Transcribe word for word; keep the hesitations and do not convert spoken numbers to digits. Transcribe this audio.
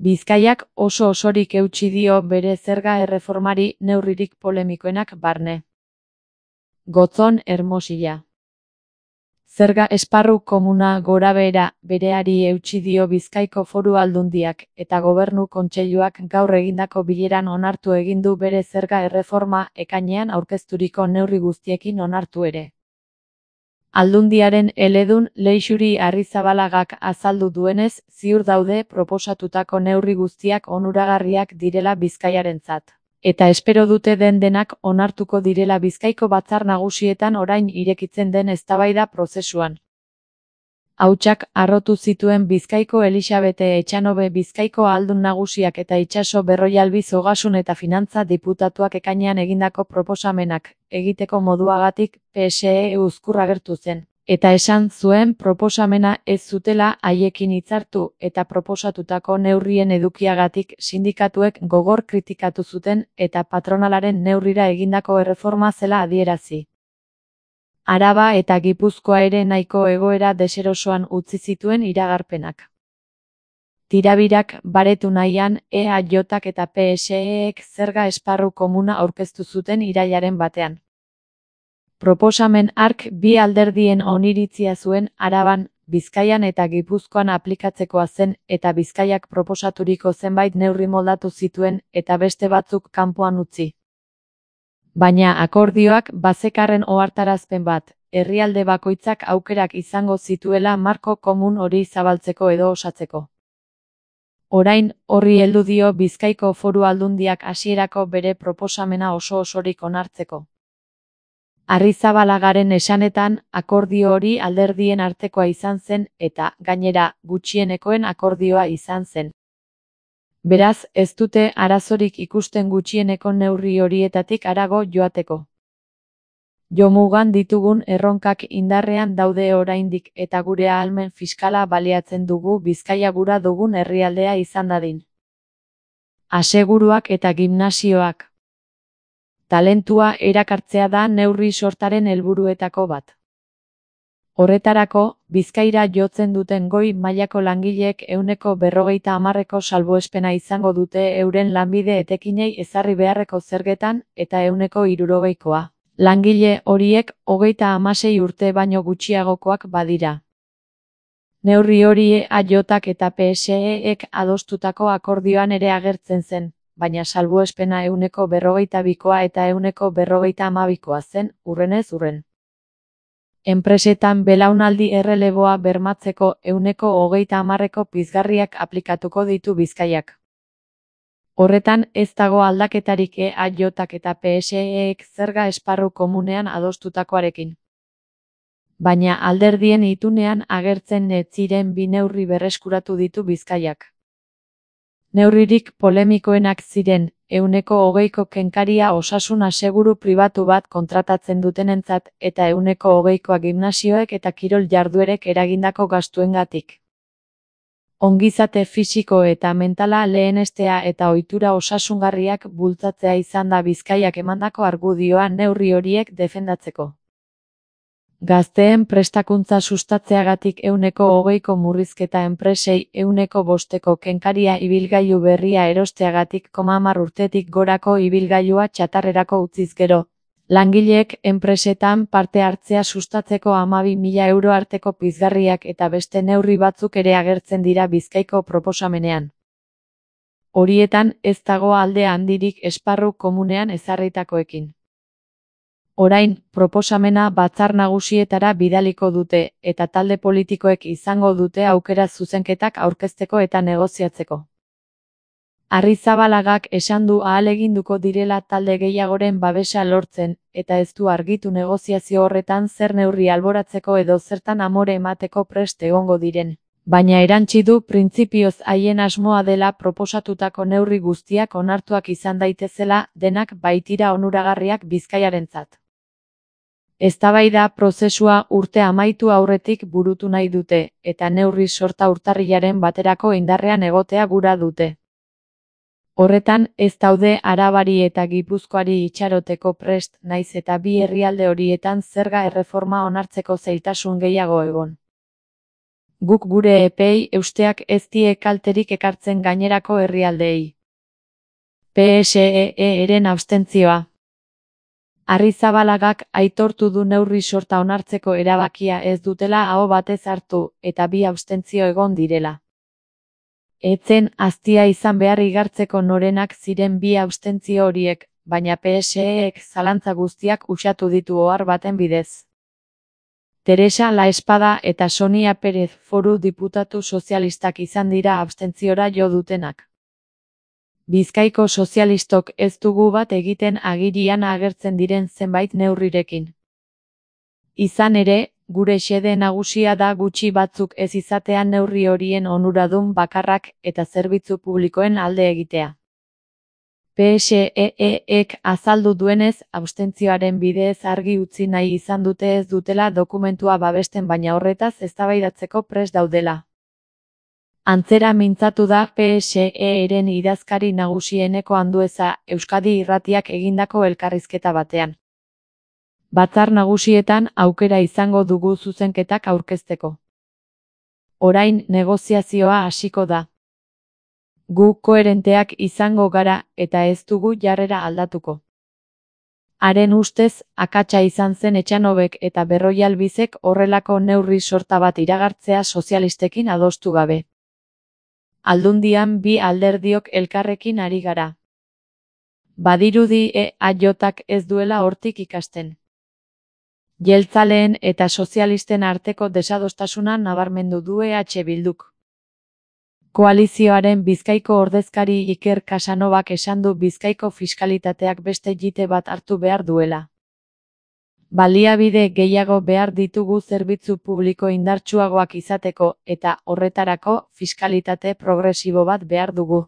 Bizkaiak oso osorik eutsi dio bere zerga erreformari neurririk polemikoenak barne. Gotzon Hermosilla. Zerga esparru komuna gorabehera bereari eutsi dio Bizkaiko Foru Aldundiak eta Gobernu Kontseiluak gaur egindako bileran onartu egin du bere zerga erreforma ekainean aurkezturiko neurri guztiekin onartu ere. Aldundiaren eledun Leixuri Arrizabalagak azaldu duenez, ziur daude proposatutako neurri guztiak onuragarriak direla Bizkaiarentzat. Eta espero dute den denak onartuko direla Bizkaiko batzar nagusietan orain irekitzen den eztabaida prozesuan. Hautsak harrotu zituen Bizkaiko Elixabete Etxanobe Bizkaiko Ahaldun Nagusiak eta Itxaso Berroialbiz Ogasun eta Finantza diputatuak ekainean egindako proposamenak egiteko moduagatik P S E uzkur agertu zen, eta esan zuen proposamena ez zutela haiekin hitzartu eta proposatutako neurrien edukiagatik sindikatuek gogor kritikatu zuten eta patronalaren neurrira egindako erreforma zela adierazi. Araba eta Gipuzkoa ere nahiko egoera deserosoan utzi zituen iragarpenak. Tirabirak baretu nahian, E A J eta P S E-ek zerga esparru komuna aurkeztu zuten irailaren batean. Proposamen hark bi alderdien oniritzia zuen Araban, Bizkaian eta Gipuzkoan aplikatzekoa zen eta Bizkaiak proposaturiko zenbait neurri moldatu zituen eta beste batzuk kanpoan utzi. Baina akordioak bazekarren ohartarazpen bat, herrialde bakoitzak aukerak izango zituela marko komun hori zabaltzeko edo osatzeko. Orain, horri heldu dio Bizkaiko Foru Aldundiak hasierako bere proposamena oso osorik onartzeko. Arrizabalagaren esanetan, akordio hori alderdien artekoa izan zen eta, gainera, gutxienekoen akordioa izan zen. Beraz, ez dute arazorik ikusten gutxieneko neurri horietatik harago joateko. Jomugan ditugun erronkak indarrean daude oraindik eta gure ahalmen fiskala baliatzen dugu Bizkaia gura dugun herrialdea izan dadin. Aseguruak eta gimnasioak. Talentua erakartzea da neurri sortaren helburuetako bat. Horretarako, Bizkaira jotzen duten goi mailako langileek ehuneko berrogeita hamarreko salbuespena izango dute euren lanbide etekinei ezarri beharreko zergetan eta ehuneko hirurogeikoa. Langile horiek hogeita hamasei urte baino gutxiagokoak badira. Neurri hori E A Jak eta P S E-ek adostutako akordioan ere agertzen zen, baina salbuespena ehuneko berrogeita bikoa eta ehuneko berrogeita hamabikoa zen, hurrenez hurren. Enpresetan belaunaldi erreleboa bermatzeko ehuneko hogeita hamarreko pizgarriak aplikatuko ditu Bizkaiak. Horretan ez dago aldaketarik E A Jak eta P S E-ek zerga esparru komunean adostutakoarekin. Baina alderdien itunean agertzen ez ziren bi neurri berreskuratu ditu Bizkaiak. Neurririk polemikoenak ziren, ehuneko hogeiko kenkaria osasun aseguru pribatu bat kontratatzen dutenentzat eta ehuneko hogeikoa gimnasioek eta kirol jarduerek eragindako gastuengatik. Ongizate fisiko eta mentala lehenestea eta ohitura osasungarriak bultzatzea izan da Bizkaiak emandako argudioa neurri horiek defendatzeko. Gazteen prestakuntza sustatzeagatik ehuneko hogeiko murrizketa enpresei ehuneko bosteko kenkaria ibilgailu berria erosteagatik koma hamar urtetik gorako ibilgailua txatarrerako utziz gero. Langileek enpresetan parte hartzea sustatzeko hamabi mila euro arteko pizgarriak eta beste neurri batzuk ere agertzen dira Bizkaiko proposamenean. Horietan ez dago alde handirik esparru komunean ezarritakoekin. Orain, proposamena batzar nagusietara bidaliko dute eta talde politikoek izango dute aukera zuzenketak aurkezteko eta negoziatzeko. Arrizabalagak esan du ahaleginduko direla talde gehiagoren babesa lortzen eta ez du argitu negoziazio horretan zer neurri alboratzeko edo zertan amore emateko prest egongo diren. Baina erantsi du printzipioz haien asmoa dela proposatutako neurri guztiak onartuak izan daitezela denak baitira onuragarriak Bizkaiarentzat. Eztabaida prozesua urte amaitu aurretik burutu nahi dute, eta neurri sorta urtarrilaren baterako indarrean egotea gura dute. Horretan, ez daude Arabari eta Gipuzkoari itxaroteko prest naiz eta bi herrialde horietan zerga erreforma onartzeko zailtasun gehiago egon. Guk gure epei eusteak ez die kalterik ekartzen gainerako herrialdeei. P S E E-ren abstentzioa. Arrizabalagak aitortu du neurri sorta onartzeko erabakia ez dutela aho batez hartu eta bi abstentzio egon direla. Etzen aztia izan behar igartzeko norenak ziren bi abstentzio horiek, baina P S E-ek zalantza guztiak uxatu ditu ohar baten bidez. Teresa Laespada eta Sonia Pérez foru diputatu sozialistak izan dira abstentziora jo dutenak. Bizkaiko sozialistok ez dugu bat egiten agirian agertzen diren zenbait neurrirekin. Izan ere, gure xede nagusia da gutxi batzuk ez izatean neurri horien onuradun bakarrak eta zerbitzu publikoen alde egitea. P S E-ek azaldu duenez, abstentzioaren bidez argi utzi nahi izan dute ez dutela dokumentua babesten baina horretaz eztabaidatzeko prest daudela. Antzera mintzatu da P S E-ren idazkari nagusieneko Andueza Euskadi Irratiak egindako elkarrizketa batean. Batzar nagusietan aukera izango dugu zuzenketak aurkezteko. Orain negoziazioa hasiko da. Gu koherenteak izango gara eta ez dugu jarrera aldatuko. Haren ustez, akatsa izan zen Etxanobek eta Berroialbizek horrelako neurri sorta bat iragartzea sozialistekin adostu gabe. Aldundian bi alderdiok elkarrekin ari gara. Badirudi E A J-ak ez duela hortik ikasten. Jeltzaleen eta sozialisten arteko desadostasuna nabarmendu du E H Bilduk. Koalizioaren Bizkaiko ordezkari Iker Casanovak esan du Bizkaiko fiskalitateak beste jite bat hartu behar duela. Baliabide gehiago behar ditugu zerbitzu publiko indartsuagoak izateko eta horretarako fiskalitate progresibo bat behar dugu.